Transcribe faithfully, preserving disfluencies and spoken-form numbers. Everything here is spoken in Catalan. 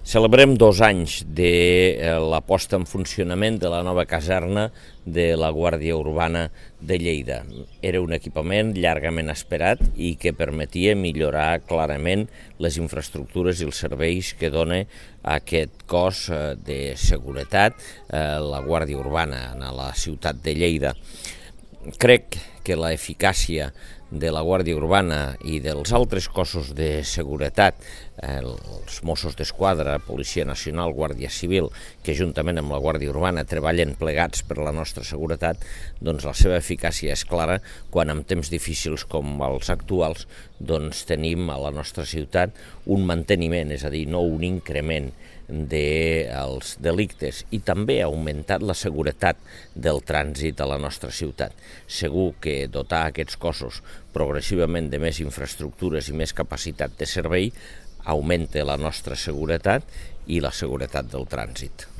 Celebrem dos anys de la posta en funcionament de la nova caserna de la Guàrdia Urbana de Lleida. Era un equipament llargament esperat i que permetia millorar clarament les infraestructures i els serveis que dona aquest cos de seguretat, la Guàrdia Urbana a la ciutat de Lleida. Crec que l'eficàcia de la Guàrdia Urbana i dels altres cossos de seguretat, els Mossos d'Esquadra, Policia Nacional, Guàrdia Civil, que juntament amb la Guàrdia Urbana treballen plegats per la nostra seguretat, doncs la seva eficàcia és clara quan en temps difícils com els actuals doncs tenim a la nostra ciutat un manteniment, és a dir, no un increment dels delictes, i també ha augmentat la seguretat del trànsit a la nostra ciutat. Segur que dotar aquests cossos progressivament de més infraestructures i més capacitat de servei augmenta la nostra seguretat i la seguretat del trànsit.